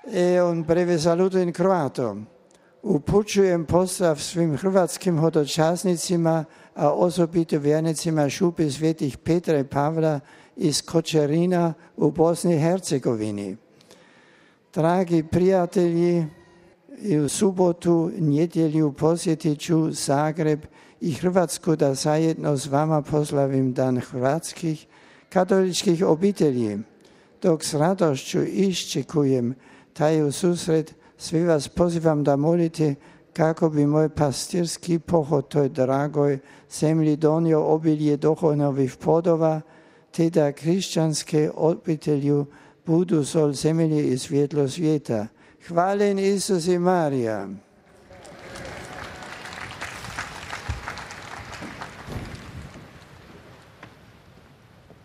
Un breve saluto in Croato. Upućujem pozdrav svim hrvatskim hodočasnicima, a osobito vjernicima Šupe svetih Petra i Pavla iz Kočerina u Bosni i Hercegovini. Dragi prijatelji, i u subotu, nedjelju posjetit ću Zagreb i Hrvatsku da zajedno s vama proslavim Dan hrvatskih katoličkih obitelji. Dok s radošću iščekujem taj susret, svi vas pozivam da molite kako bi moj pastirski pohod toj dragoj zemlji donio obilje duhovnih plodova, te da kršćanske obitelji budu sol zemlje i svjetlo svijeta. Hvaljen Isus i Marija.